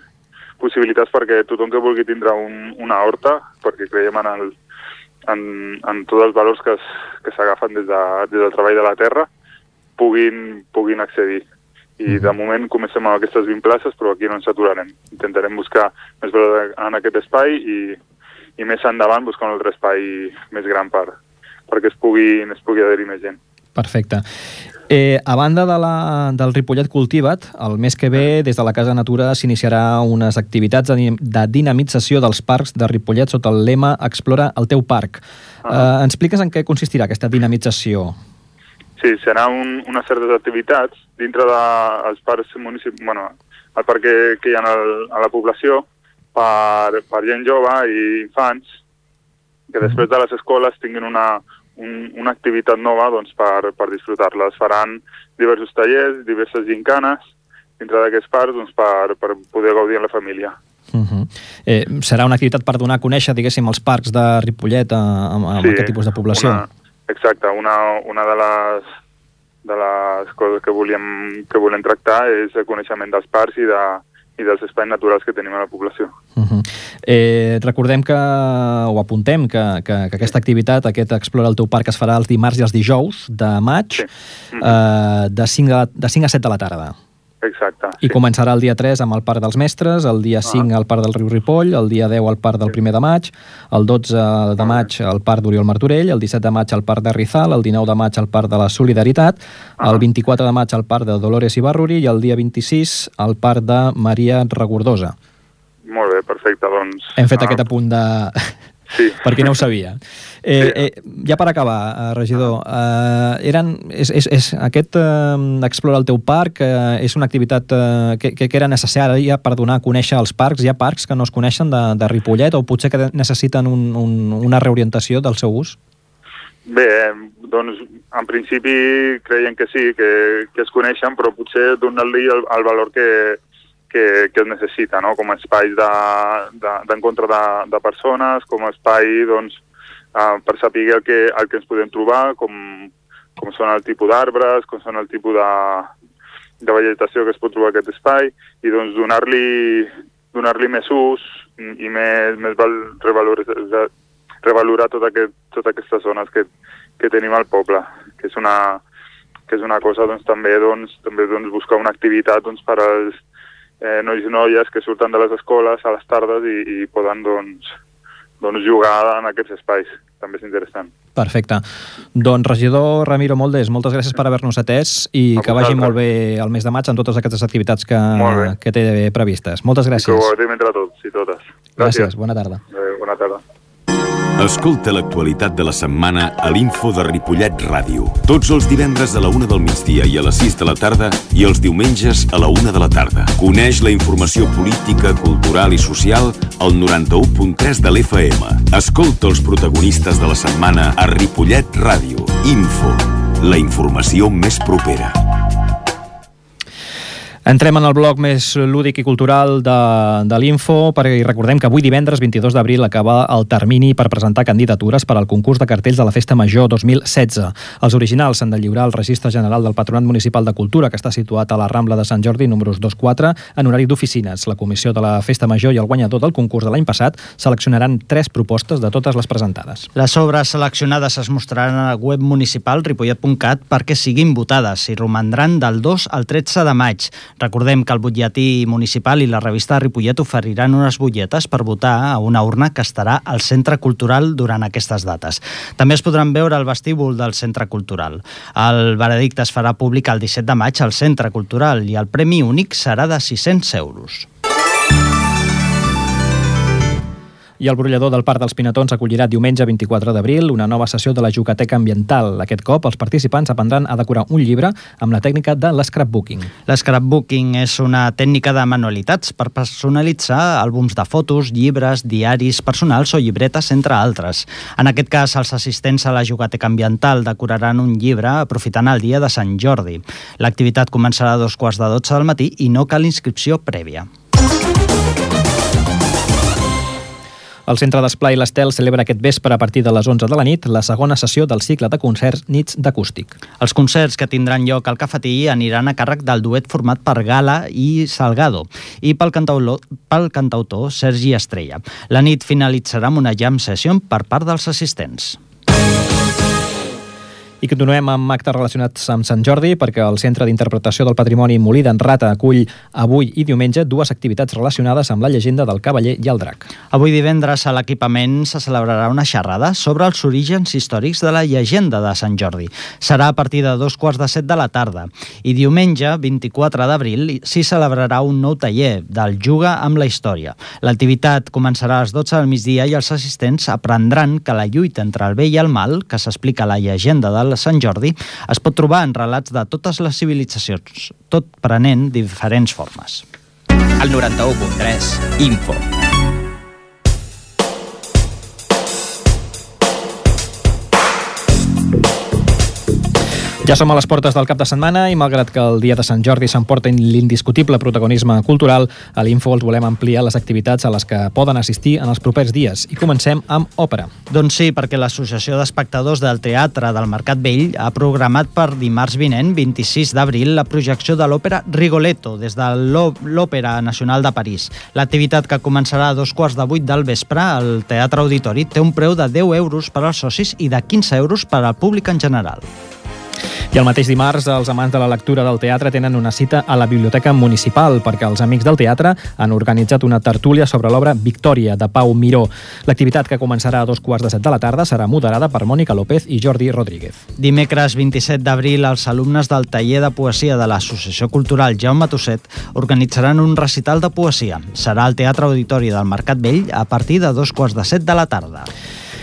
possibilitats perquè tothom que vulgui tindre un, una horta, perquè creiem en, el, en, en tots els valors que, es, que s'agafen des, de, des del treball de la terra, puguin, puguin accedir. I de moment comencem amb aquestes vint places, però aquí no ens aturarem. Intentarem buscar més valor en aquest espai i, i més endavant buscar un altre espai més gran per, perquè es pugui, es pugui adherir més gent. Perfecte. Eh, a banda de la, del Ripollet Cultiva't, el mes que ve, des de la Casa Natura, s'iniciarà unes activitats de, de dinamització dels parcs de Ripollet sota el lema Explora el teu parc. Uh-huh. eh, ens expliques en què consistirà aquesta dinamització? Sí, serà un, unes certes activitats dintre dels de, parcs municipals, bueno, el parc que, que hi ha el, a la població per, per gent jove i infants, que després de les escoles tinguin una Un, una activitat nova doncs, per, per disfrutar-la. Es faran diversos tallers, diverses gincanes dintre d'aquests parcs doncs, per, per poder gaudir amb la família. Uh-huh. eh, serà una activitat per donar a conèixer, diguéssim, els parcs de Ripollet a, a, a sí, aquest tipus de població. Una, exacte, una, una de les de les coses que volíem, que volem tractar és el coneixement dels parcs i de i dels espais naturals que tenim a la població. Uh-huh. eh, recordem que, o apuntem que, que, que aquesta activitat, aquest Explora el teu parc, es farà els dimarts i els dijous de maig, sí. uh-huh. eh, de, cinc a, de cinc a set de la tarda. Exacte. I sí. Començarà el dia tres amb el Parc dels Mestres, el dia cinc al Parc del Riu Ripoll, el dia deu al Parc del primer de maig, el dotze de maig al Parc d'Oriol Martorell, el disset de maig al Parc de Rizal, el dinou de maig al Parc de la Solidaritat, el vint-i-quatre de maig al Parc de Dolores i Barruri i el dia vint-i-sis al Parc de Maria Regordosa. Molt bé, perfecte, doncs... Hem fet ah, aquest apunt de... Sí. Per qui no ho sabia. Eh, eh, ja per acabar, regidor, eh, eren, és, és, és, aquest eh, Explora el teu parc eh, és una activitat eh, que, que era necessària per donar a conèixer els parcs. Hi ha parcs que no es coneixen de, de Ripollet o potser que necessiten un, un, una reorientació del seu ús? Bé, doncs en principi creiem que sí, que, que es coneixen, però potser donar-li el, el valor que, que, que es necessita, no? Com a espai d'encontre de, de, de persones, com a espai doncs, uh, per saber el que, el que ens podem trobar, com, com són el tipus d'arbres, com són el tipus de, de vegetació que es pot trobar a aquest espai, i doncs donar-li donar-li més ús i més, més val, revalorar, revalorar tot aquest, totes aquestes zones que, que tenim al poble, que és una, que és una cosa doncs, també, doncs, també doncs, buscar una activitat doncs, per als eh, nois i noies que surten de les escoles a les tardes i, i poden doncs, doncs, jugar en aquests espais. També és interessant. Perfecte. Doncs, regidor Ramiro Moldes, moltes gràcies per haver-nos atès i a que vagi molt bé el mes de maig en totes aquestes activitats que, que té previstes. Moltes gràcies. I que ho agraïm entre tots i totes. Gràcies. Gràcies. Bona tarda. Eh, bona tarda. Escolta l'actualitat de la setmana a l'Info de Ripollet Ràdio. Tots els divendres a la una del migdia i a les sis de la tarda i els diumenges a la una de la tarda. Coneix la informació política, cultural i social al noranta-u punt tres de l'F M. Escolta els protagonistes de la setmana a Ripollet Ràdio. Info, la informació més propera. Entrem en el bloc més lúdic i cultural de, de l'Info, perquè recordem que avui divendres vint-i-dos d'abril acaba el termini per presentar candidatures per al concurs de cartells de la Festa Major dos mil setze. Els originals s'han de lliurar al Registre General del Patronat Municipal de Cultura, que està situat a la Rambla de Sant Jordi, números dos quatre, en horari d'oficines. La comissió de la Festa Major i el guanyador del concurs de l'any passat seleccionaran tres propostes de totes les presentades. Les obres seleccionades es mostraran a la web municipal ripollet punt cat perquè siguin votades i romandran del dos al tretze de maig. Recordem que el butlletí municipal i la revista de Ripollet oferiran unes butlletes per votar a una urna que estarà al Centre Cultural durant aquestes dates. També es podran veure al vestíbul del Centre Cultural. El veredicte es farà públic el disset de maig al Centre Cultural i el premi únic serà de sis-cents euros. I el brollador del Parc dels Pinatons acollirà diumenge vint-i-quatre d'abril una nova sessió de la Jugateca Ambiental. Aquest cop, els participants aprendran a decorar un llibre amb la tècnica de l'escrapbooking. L'escrapbooking és una tècnica de manualitats per personalitzar àlbums de fotos, llibres, diaris personals o llibretes, entre altres. En aquest cas, els assistents a la Jugateca Ambiental decoraran un llibre aprofitant el dia de Sant Jordi. L'activitat començarà a dos quarts de dotze del matí i no cal inscripció prèvia. El Centre d'Esplai l'Estel celebra aquest vespre a partir de les onze de la nit la segona sessió del cicle de concerts Nits d'Acústic. Els concerts que tindran lloc al cafetí aniran a càrrec del duet format per Gala i Salgado i pel cantautor, pel cantautor Sergi Estrella. La nit finalitzarà amb una jam session per part dels assistents. I continuem amb actes relacionats amb Sant Jordi, perquè el Centre d'Interpretació del Patrimoni Molí d'en Rata acull avui i diumenge dues activitats relacionades amb la llegenda del Cavaller i el Drac. Avui divendres a l'equipament se celebrarà una xerrada sobre els orígens històrics de la llegenda de Sant Jordi. Serà a partir de dos quarts de set de la tarda. I diumenge, vint-i-quatre d'abril, s'hi celebrarà un nou taller del Juga amb la història. L'activitat començarà a les dotze del migdia i els assistents aprendran que la lluita entre el bé i el mal, que s'explica a la llegenda de Sant Jordi, es pot trobar en relats de totes les civilitzacions, tot prenent diferents formes. El noranta-u punt tres, Info. Ja som a les portes del cap de setmana i malgrat que el dia de Sant Jordi s'emporta l'indiscutible protagonisme cultural, a l'Info els volem ampliar les activitats a les que poden assistir en els propers dies. I comencem amb òpera. Doncs sí, perquè l'Associació d'Espectadors del Teatre del Mercat Vell ha programat per dimarts vinent, vint-i-sis d'abril, la projecció de l'òpera Rigoletto des de l'Òpera Nacional de París. L'activitat, que començarà a dos quarts de vuit del vespre al Teatre Auditori, té un preu de deu euros per als socis i de quinze euros per al públic en general. I el mateix dimarts, els amants de la lectura del teatre tenen una cita a la Biblioteca Municipal perquè els amics del teatre han organitzat una tertúlia sobre l'obra Victòria, de Pau Miró. L'activitat, que començarà a dos quarts de set de la tarda, serà moderada per Mònica López i Jordi Rodríguez. Dimecres vint-i-set d'abril, els alumnes del taller de poesia de l'Associació Cultural Jaume Tusset organitzaran un recital de poesia. Serà al Teatre Auditori del Mercat Vell a partir de dos quarts de set de la tarda.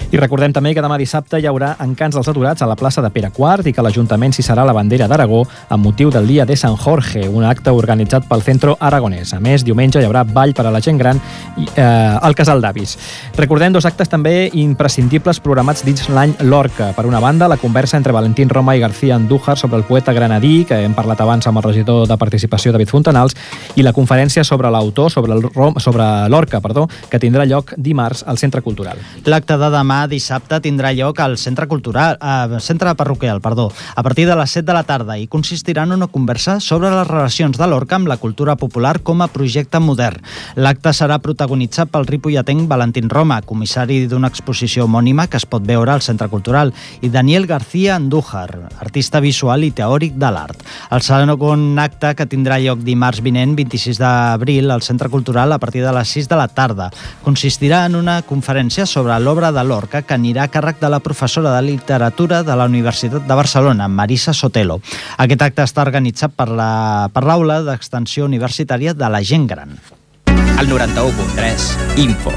I recordem també que demà dissabte hi haurà encants dels aturats a la plaça de Pere quart i que l'Ajuntament s'hi serà la bandera d'Aragó amb motiu del Dia de San Jorge, un acte organitzat pel Centro Aragonès. A més, diumenge hi haurà ball per a la gent gran i, eh, al Casal d'Avis. Recordem dos actes també imprescindibles programats dins l'any Lorca. Per una banda, la conversa entre Valentín Roma i García Andújar sobre el poeta granadí, que hem parlat abans amb el regidor de Participació, David Fontanals, i la conferència sobre l'autor, sobre el sobre Lorca, perdó, que tindrà lloc dimarts al Centre Cultural. L'acte de demà dissabte tindrà lloc al Centre Cultural, eh, Centre Parroquial, perdó, a partir de les set de la tarda i consistirà en una conversa sobre les relacions de Lorca amb la cultura popular com a projecte modern. L'acte serà protagonitzat pel ripolletenc Valentín Roma, comissari d'una exposició homònima que es pot veure al Centre Cultural, i Daniel García Andújar, artista visual i teòric de l'art. El segon acte, que tindrà lloc dimarts vinent, vint-i-sis d'abril, al Centre Cultural a partir de les sis de la tarda, consistirà en una conferència sobre l'obra de Lorca que anirà a càrrec de la professora de literatura de la Universitat de Barcelona, Marisa Sotelo. Aquest acte està organitzat per la per l'Aula d'Extensió Universitària de la Gent Gran. El noranta-u punt tres, Info.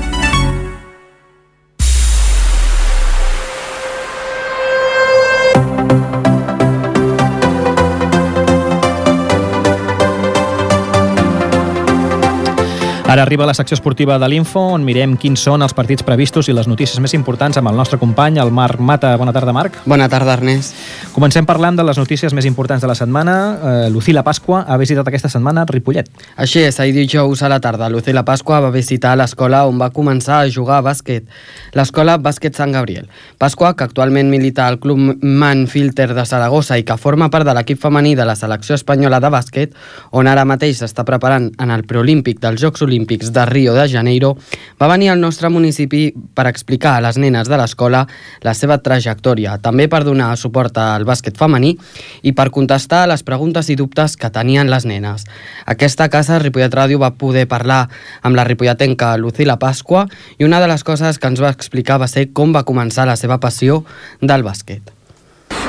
Ara arriba la secció esportiva de l'Info, on mirem quins són els partits previstos i les notícies més importants amb el nostre company, el Marc Mata. Bona tarda, Marc. Bona tarda, Ernest. Comencem parlant de les notícies més importants de la setmana. Eh, Lucila Pasqua ha visitat aquesta setmana Ripollet. Així és, ahir dijous a la tarda, Lucila Pasqua va visitar l'escola on va començar a jugar a bàsquet, l'escola Bàsquet Sant Gabriel. Pasqua, que actualment milita al Club Manfilter de Saragossa i que forma part de l'equip femení de la selecció espanyola de bàsquet, on ara mateix s'està preparant en el preolímpic dels Jocs Olímpics de Rio de Janeiro, va venir al nostre municipi per explicar a les nenes de l'escola la seva trajectòria, també per donar suport al bàsquet femení i per contestar a les preguntes i dubtes que tenien les nenes. Aquesta casa, Ripollet Ràdio, va poder parlar amb la ripolletenca Lucila Pasqua i una de les coses que ens va explicar va ser com va començar la seva passió del bàsquet.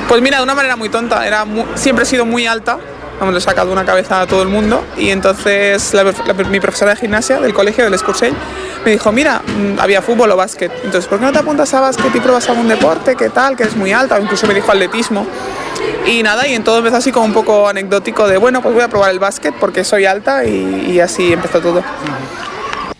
Pues mira, de una manera muy tonta, era muy, siempre he sido muy alta, vamos, le he sacado una cabeza a todo el mundo y entonces la, la, mi profesora de gimnasia del colegio, del Escursell, me dijo, mira, había fútbol o básquet, entonces ¿por qué no te apuntas a básquet y pruebas algún deporte? ¿Qué tal? Que eres muy alta, o incluso me dijo atletismo y nada, y entonces empezó así como un poco anecdótico de, bueno, pues voy a probar el básquet porque soy alta y, y así empezó todo.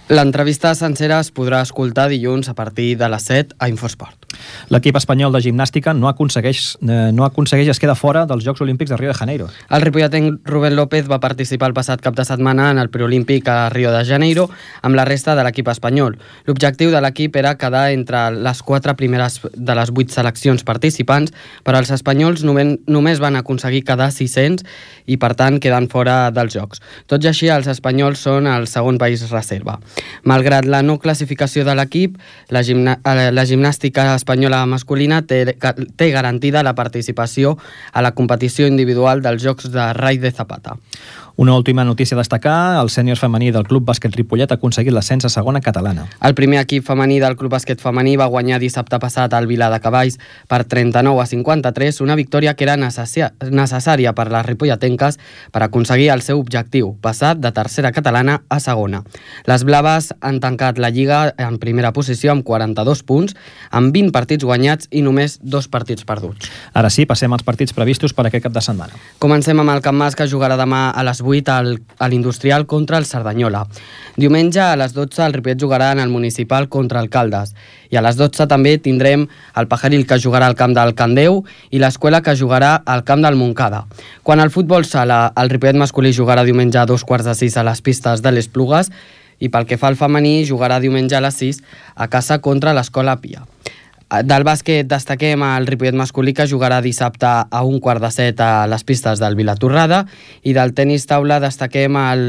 L'entrevista sencera es podrà escoltar dilluns a partir de les set a Infosport. L'equip espanyol de gimnàstica no aconsegueix, eh, no aconsegueix es queda fora dels Jocs Olímpics de Rio de Janeiro. El ripolletenc Rubén López va participar el passat cap de setmana en el preolímpic a Rio de Janeiro amb la resta de l'equip espanyol. L'objectiu de l'equip era quedar entre les quatre primeres de les vuit seleccions participants, però els espanyols només van aconseguir quedar sis-cents i per tant queden fora dels Jocs. Tot i així, els espanyols són el segon país reserva. Malgrat la no classificació de l'equip, la, gimna la gimnàstica espanyola masculina té, té garantida la participació a la competició individual dels Jocs de Rai de Zapata. Una última notícia a destacar, el sènior femení del Club Bàsquet Ripollet ha aconseguit l'ascens a segona catalana. El primer equip femení del Club Bàsquet femení va guanyar dissabte passat al Vilar de Cavalls per trenta-nou a cinquanta-tres, una victòria que era necessària per les ripolletenques per aconseguir el seu objectiu, passar de tercera catalana a segona. Les blaves han tancat la Lliga en primera posició amb quaranta-dos punts, amb vint partits guanyats i només dos partits perduts. Ara sí, passem als partits previstos per aquest cap de setmana. Comencem amb el Can Mas, que jugarà demà a les vuit al, a l'Industrial contra el Cerdanyola. Diumenge a les dotze el Ripollet jugarà en el Municipal contra el Caldes. I a les dotze també tindrem el Pajaril, que jugarà al camp del Candeu, i l'Escuela, que jugarà al camp del Montcada. Quan al futbol sala, el Ripollet masculí jugarà diumenge a dos quarts de sis a les pistes de les Plugues, i pel que fa al femení jugarà diumenge a les sis a casa contra l'Escola Pia. Del bàsquet destaquem el Ripollet masculí, que jugarà dissabte a un quart de set a les pistes del Vilatorrada, i del tenis taula destaquem el,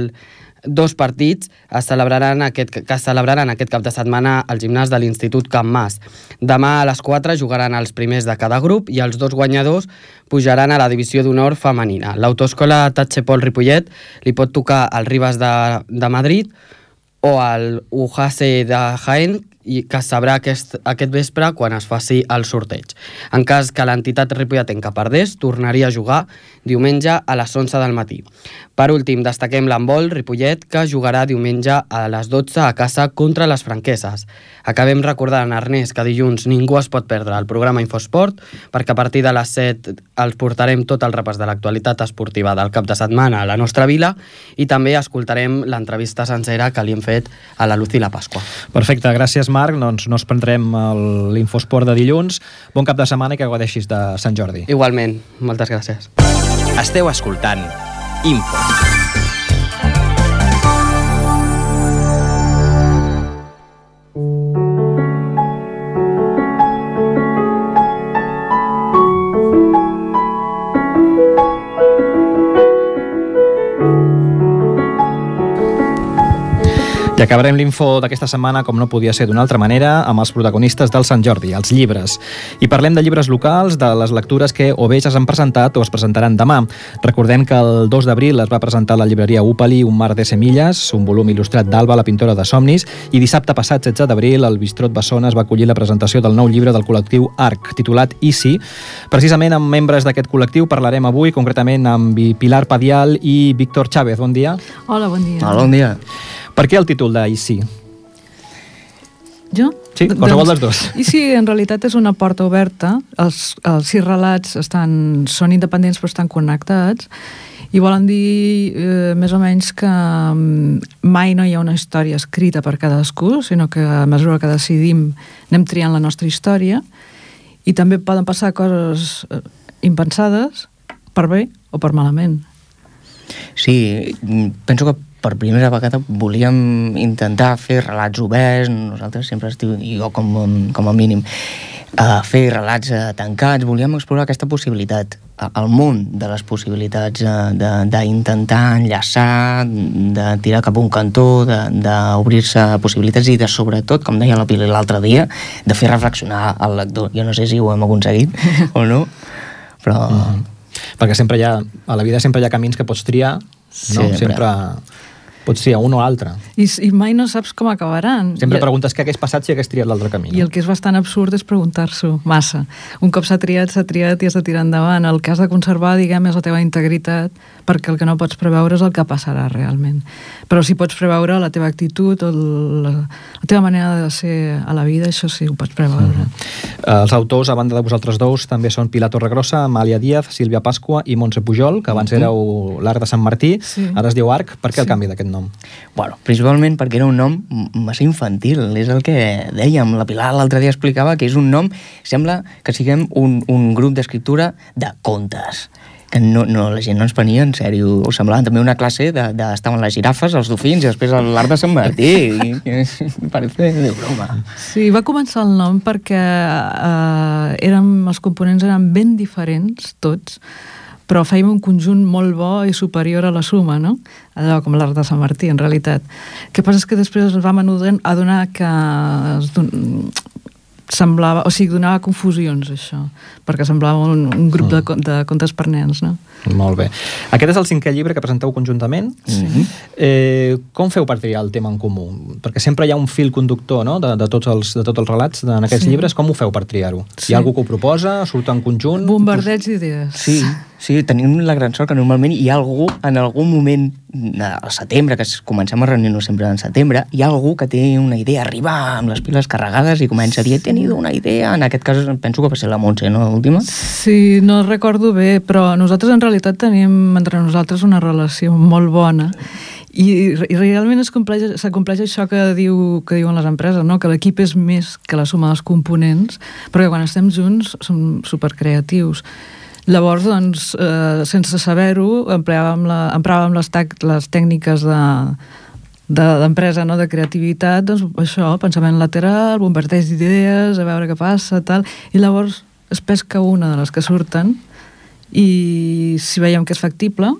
dos partits es celebraran aquest, que es celebraran aquest cap de setmana al gimnàs de l'Institut Can Mas. Demà a les quatre jugaran els primers de cada grup i els dos guanyadors pujaran a la divisió d'honor femenina. L'autoescola Tachepol Ripollet li pot tocar al Ribas de, de Madrid o al U J C de Jaén, i que es sabrà aquest, aquest vespre quan es faci el sorteig. En cas que l'entitat ripolletenca perdés, tornaria a jugar diumenge a les onze del matí. Per últim, destaquem l'handbol Ripollet, que jugarà diumenge a les dotze a casa contra les Franqueses. Acabem recordant, Ernest, que dilluns ningú es pot perdre el programa Infosport, perquè a partir de les set els portarem tot el repàs de l'actualitat esportiva del cap de setmana a la nostra vila i també escoltarem l'entrevista sencera que li hem fet a la Lucila Pasqua. Perfecte, gràcies Marc, doncs no ens prendrem l'Infosport de dilluns. Bon cap de setmana i que gaudeixis de Sant Jordi. Igualment, moltes gràcies. Esteu escoltant Info. I acabarem l'info d'aquesta setmana, com no podia ser d'una altra manera, amb els protagonistes del Sant Jordi, els llibres. I parlem de llibres locals, de les lectures que o bé ja s'han presentat o es presentaran demà. Recordem que el dos d'abril es va presentar a la llibreria Upali Un mar de semilles, un volum il·lustrat d'Alba, la pintora de somnis, i dissabte passat, setze d'abril, el Bistrot Bessona es va acollir la presentació del nou llibre del col·lectiu Arc, titulat Easy. Precisament amb membres d'aquest col·lectiu parlarem avui, concretament amb Pilar Padial i Víctor Chávez. Bon dia. Hola, bon dia. Hola, bon dia. Per què el títol de Easy? Jo? Sí, qualsevol dels dos. Easy en realitat és una porta oberta. Els, els sis relats estan, són independents però estan connectats i volen dir eh, més o menys que mai no hi ha una història escrita per cadascú, sinó que a mesura que decidim anem triant la nostra història i també poden passar coses impensades per bé o per malament. Sí, penso que per primera vegada volíem intentar fer relats oberts, nosaltres sempre estiu, i jo com, com a mínim, a fer relats tancats, volíem explorar aquesta possibilitat, el món de les possibilitats, d'intentar enllaçar, de tirar cap a un cantó, d'obrir-se possibilitats i de, sobretot, com deia la Pili l'altre dia, de fer reflexionar el lector. Jo no sé si ho hem aconseguit o no, però... Mm. Perquè sempre hi ha, a la vida sempre hi ha camins que pots triar, no? Sempre... sempre pots triar un o l'altre. I, I mai no saps com acabaran. Sempre I, preguntes què hagués passat si hagués triat l'altre camí. No? I el que és bastant absurd és preguntar-s'ho massa. Un cop s'ha triat, s'ha triat i has de tirar endavant. El que has de conservar, diguem, és la teva integritat, perquè el que no pots preveure és el que passarà realment. Però si pots preveure la teva actitud o la, la teva manera de ser a la vida, això sí, ho pots preveure. Mm-hmm. Els autors, a banda de vosaltres dos, també són Pilar Torregrossa, Amàlia Díaz, Sílvia Pasqua i Montse Pujol, que abans mm-hmm. éreu l'Arc de Sant Martí, sí. Ara es diu Arc. Per què sí. El canvi d'aquest nom? Bueno, principalment perquè era un nom massa infantil, és el que dèiem. La Pilar l'altre dia explicava que és un nom, sembla que siguem un, un grup d'escriptura de contes, que no, no, la gent no ens prenia en sèrio. Us semblava també una classe de, de estaven les girafes, els dofins i després l'Arc de Sant Martí. I, i, parece de broma. Sí, va començar el nom perquè eh, érem, els components eren ben diferents, tots, però fèiem un conjunt molt bo i superior a la suma, no? Allò com l'Arc de Sant Martí, en realitat. El que passa és que després ens vam adonar que es don... semblava, o sigui, donava confusions, això, perquè semblava un, un grup de, de contes per nens, no? Molt bé. Aquest és el cinquè llibre que presenteu conjuntament. Sí. Eh, com feu per triar el tema en comú? Perquè sempre hi ha un fil conductor, no?, de, de, tots, els, de tots els relats en aquests sí. llibres. Com ho feu per triar-ho? Sí. Hi ha algú que ho proposa? Surt en conjunt? Bombardeig d'idees. Sí, sí, tenim la gran sort que normalment hi ha algú, en algun moment, al setembre, que comencem a reunir-nos sempre en setembre, hi ha algú que té una idea, arriba amb les piles carregades i comença a dir, he tenido una idea. En aquest cas penso que va ser la Montse, no?, l'última? Sí, no recordo bé, però nosaltres en realitat tenim entre nosaltres una relació molt bona i, i realment s'acompleix això que, diu, que diuen les empreses, no? Que l'equip és més que la suma dels components, perquè quan estem junts som supercreatius. Llavors, doncs, eh, sense saber-ho, empleàvem, la, empleàvem les, tac, les tècniques de d'empresa, no?, de creativitat, doncs això, pensament lateral, bombardeig d'idees, a veure què passa, tal, i llavors es pesca una de les que surten i si veiem que és factible,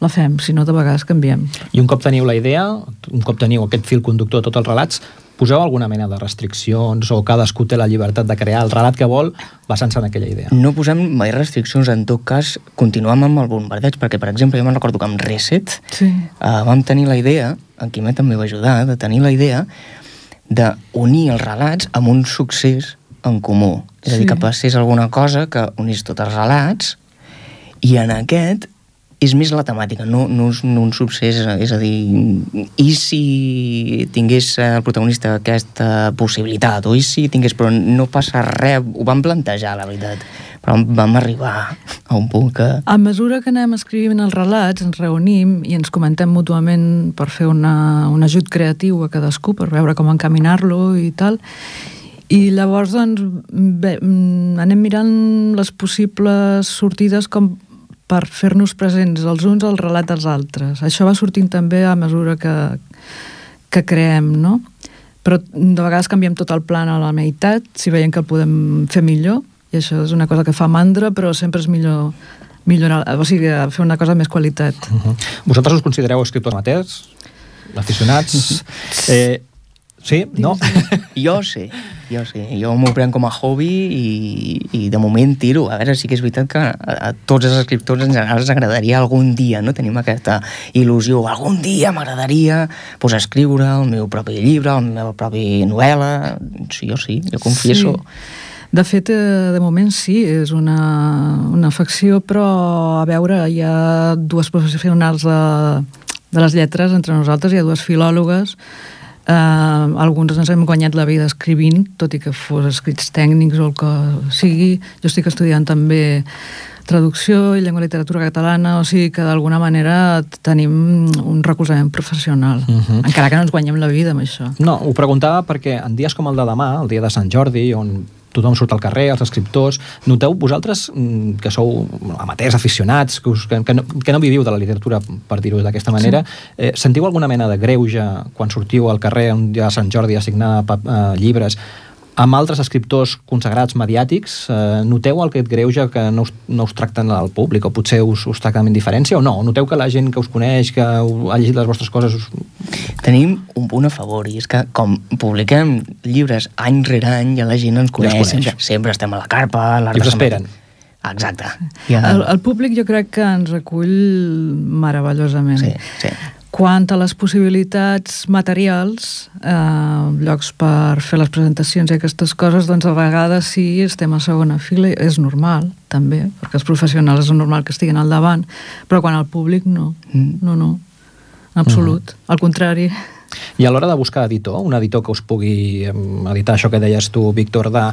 la fem, si no de vegades canviem. I un cop teniu la idea, un cop teniu aquest fil conductor de tots els relats, poseu alguna mena de restriccions o cadascú té la llibertat de crear el relat que vol basant-se en aquella idea? No posem mai restriccions, en tot cas continuem amb el bombardeig, perquè per exemple jo me'n recordo que amb Reset sí. uh, vam tenir la idea, en Quimet també va ajudar, de tenir la idea d'unir els relats amb un succés en comú. És a dir, Sí. que passés alguna cosa que unís tots els relats i en aquest és més la temàtica, no, no, no un succés, és a dir, i si tingués el protagonista aquesta possibilitat, o i si tingués, però no passa res, ho vam plantejar, la veritat, però vam arribar a un punt que... A mesura que anem escrivint els relats, ens reunim i ens comentem mútuament per fer una, un ajut creatiu a cadascú, per veure com encaminar-lo i tal, i llavors doncs bé, anem mirant les possibles sortides com per fer-nos presents els uns al relat dels altres. Això va sortint també a mesura que, que creem, no? Però de vegades canviem tot el plan a la meitat, si veiem que el podem fer millor, i això és una cosa que fa mandra, però sempre és millor millorar, o sigui, fer una cosa amb més qualitat. Uh-huh. Vosaltres us considereu escriptors amateurs? Aficionats? eh, sí? No? Jo sí, jo sí. Jo m'ho prenc com a hobby i, i de moment tiro. A veure, sí que és veritat que a, a tots els escriptors en general ens agradaria algun dia, no? Tenim aquesta il·lusió. Algun dia m'agradaria pues, escriure el meu propi llibre, la meva pròpia novel·la. Sí, jo sí, jo confieso. Sí. De fet, de moment sí, és una, una afecció, però a veure, hi ha dues professionals de, de les lletres entre nosaltres, hi ha dues filòlogues, eh, alguns ens hem guanyat la vida escrivint, tot i que fos escrits tècnics o el que sigui. Jo estic estudiant també traducció i llengua i literatura catalana, o sigui que d'alguna manera tenim un recolzament professional, uh-huh. encara que no ens guanyem la vida amb això. No, ho preguntava perquè en dies com el de demà, el dia de Sant Jordi, on tothom surt al carrer, els escriptors, noteu vosaltres que sou amateurs, aficionats, que, us, que, que, no, que no viviu de la literatura, per dir-ho d'aquesta manera, sí. eh, sentiu alguna mena de greuge quan sortiu al carrer un dia de Sant Jordi a signar eh, llibres amb altres escriptors consagrats mediàtics? Eh, noteu aquest greuge que no us, no us tracten al públic o potser us, us tracten amb indiferència o no? Noteu que la gent que us coneix, que ha llegit les vostres coses... Us... Tenim un punt a favor i és que com publiquem llibres any rere any ja la gent ens coneix, ja coneix. Sempre, sempre estem a la carpa... A I us esperen. Exacte. Ja... El, el públic jo crec que ens recull meravellosament. Sí, sí. Quant a les possibilitats materials, eh, llocs per fer les presentacions i aquestes coses, doncs a vegades sí estem a segona fila, és normal també, perquè els professionals és normal que estiguin al davant, però quan al públic no, mm. no, no, en absolut, mm. al contrari. I a l'hora de buscar editor, un editor que us pugui editar això que deies tu, Víctor, de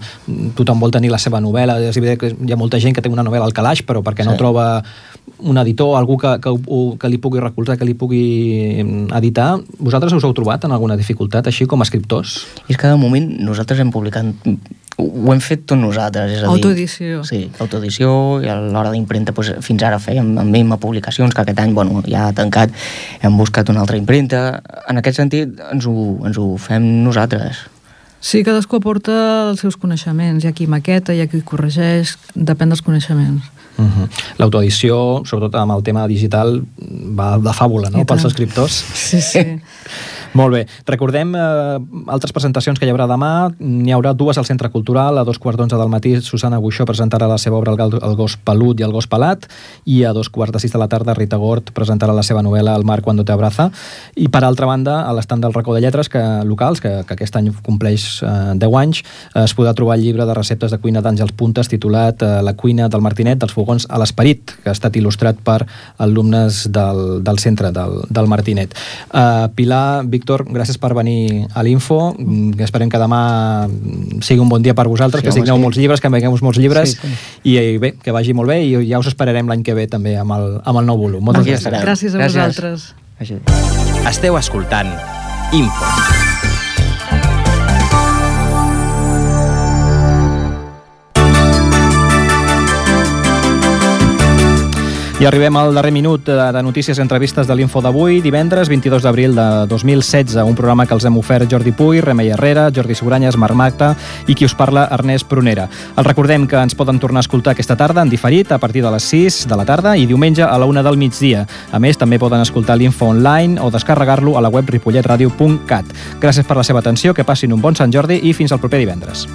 tothom vol tenir la seva novel·la, és evident que hi ha molta gent que té una novel·la al calaix, però perquè sí. no troba un editor, algú que, que, que li pugui recolzar, que li pugui editar, vosaltres us heu trobat en alguna dificultat, així com a escriptors? I és que de moment nosaltres hem publicat, ho hem fet tot nosaltres, és a dir... Autoedició. Sí, autoedició, i a l'hora d'impremta doncs, fins ara fèiem amb M publicacions, que aquest any bueno, ja ha tancat, hem buscat una altra impremta, en aquest sentit ens ho, ens ho fem nosaltres. Sí, cadascú aporta els seus coneixements, hi ha qui maqueta, hi ha qui corregeix, depèn dels coneixements. Uh-huh. L'autoedició, sobretot amb el tema digital, va de fàbula, no?, pels escriptors. Sí, sí. Molt bé. Recordem eh, altres presentacions que hi haurà demà. N'hi haurà dues al Centre Cultural. A dos quarts d'onze del matí, Susana Buixó presentarà la seva obra El, el gos pelut i el gos pelat, i a dos quarts de sis de la tarda Rita Gort presentarà la seva novel·la El mar cuando te abraza. I per altra banda, a l'estand del Racó de Lletres que, locals, que, que aquest any compleix eh, deu anys, eh, es podrà trobar el llibre de receptes de cuina d'Àngels Puntes titulat eh, La cuina del Martinet, dels fogons a l'esperit, que ha estat il·lustrat per alumnes del, del centre del, del Martinet. Eh, Pilar, Víctor, gràcies per venir a l'Info. Esperem que demà sigui un bon dia per vosaltres, sí, que signeu sí. molts llibres, que envegueu molts llibres, sí, sí. i bé, que vagi molt bé, i ja us esperarem l'any que ve també amb el, amb el nou volum. Moltes gràcies. Gràcies a vosaltres. Gràcies. Esteu escoltant Info. I arribem al darrer minut de notícies i entrevistes de l'Info d'avui, divendres vint-i-dos d'abril de dos mil setze, un programa que els hem ofert Jordi Puy, Remei Herrera, Jordi Seguranyes, Marc Magda i qui us parla, Ernest Prunera. Els recordem que ens poden tornar a escoltar aquesta tarda en diferit a partir de les sis de la tarda i diumenge a la una del migdia. A més, també poden escoltar l'Info online o descarregar-lo a la web ripollet radio punt cat. Gràcies per la seva atenció, que passin un bon Sant Jordi i fins al proper divendres.